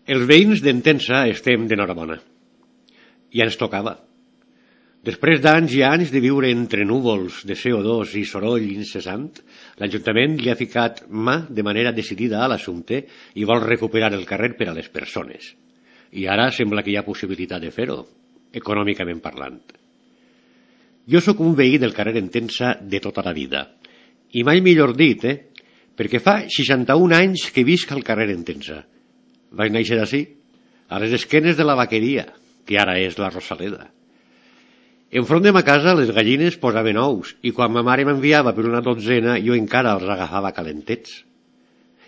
Els veïns d'Entença estem d'enhorabona. Ja ens tocava. Després d'anys i anys de viure entre núvols de CO2 i soroll incessant, l'Ajuntament li ha ficat mà de manera decidida a l'assumpte i vol recuperar el carrer per a les persones. I ara sembla que hi ha possibilitat de fer-ho, econòmicament parlant. Jo sóc un veí del carrer Entença de tota la vida. I mai millor dit, perquè fa 61 anys que visc al carrer Entença. Vaig néixer d'ací, a les esquenes de la vaqueria, que ara és la Rosaleda. Enfront de ma casa les gallines posaven ous i quan ma mare m'enviava per una dotzena jo encara els agafava calentets.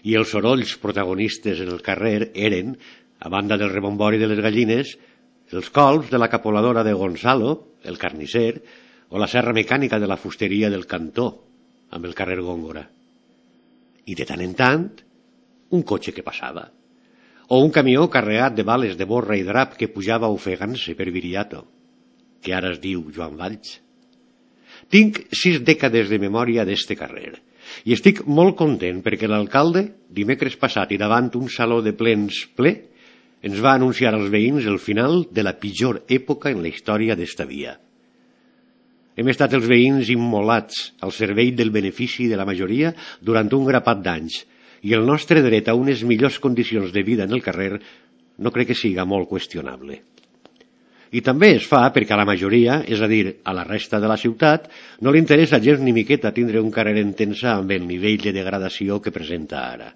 I els sorolls protagonistes en el carrer eren, a banda del rebombori de les gallines, els colps de la capoladora de Gonzalo, el carnisser, o la serra mecànica de la fusteria del Cantó, amb el carrer Góngora. I de tant en tant, un cotxe que passava. O un camió carregat de bales de borra i drap que pujava ofegant-se per Viriato, que ara es diu Joan Valls. Tinc 6 dècades de memòria d'este carrer i estic molt content perquè l'alcalde, dimecres passat i davant un saló de plens ple, ens va anunciar als veïns el final de la pitjor època en la història d'esta via. Hem estat els veïns immolats al servei del benefici de la majoria durant un grapat d'anys i el nostre dret a unes millors condicions de vida en el carrer no crec que siga molt qüestionable. I també es fa perquè a la majoria, és a dir, a la resta de la ciutat, no li interessa gens ni miqueta tindre un carrer Entença amb el nivell de degradació que presenta ara.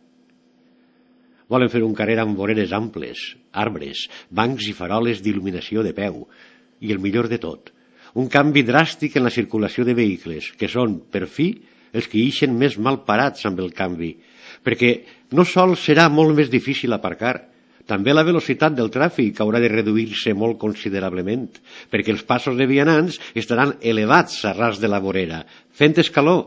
Volen fer un carrer amb voreres amples, arbres, bancs i faroles d'il·luminació de peu. I el millor de tot, un canvi dràstic en la circulació de vehicles, que són, per fi, els que ixen més mal parats amb el canvi, perquè no sols serà molt més difícil aparcar, també la velocitat del tràfic haurà de reduir-se molt considerablement, perquè els passos de vianants estaran elevats a ras de la vorera, fent escaló,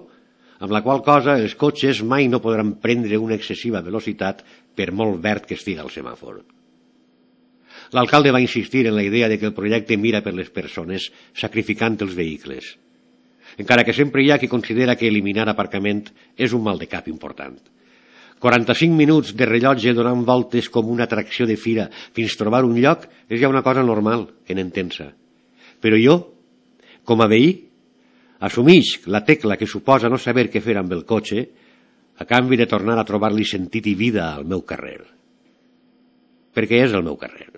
amb la qual cosa els cotxes mai no podran prendre una excessiva velocitat per molt verd que estiga el semàfor. L'alcalde va insistir en la idea de que el projecte mira per les persones, sacrificant els vehicles, encara que sempre hi ha qui considera que eliminar aparcament és un mal de cap important. 45 minuts de rellotge donant voltes com una atracció de fira fins trobar un lloc és ja una cosa normal en Entença. Però jo, com a veí, assumix la tecla que suposa no saber què fer amb el cotxe a canvi de tornar a trobar-li sentit i vida al meu carrer. Perquè és el meu carrer.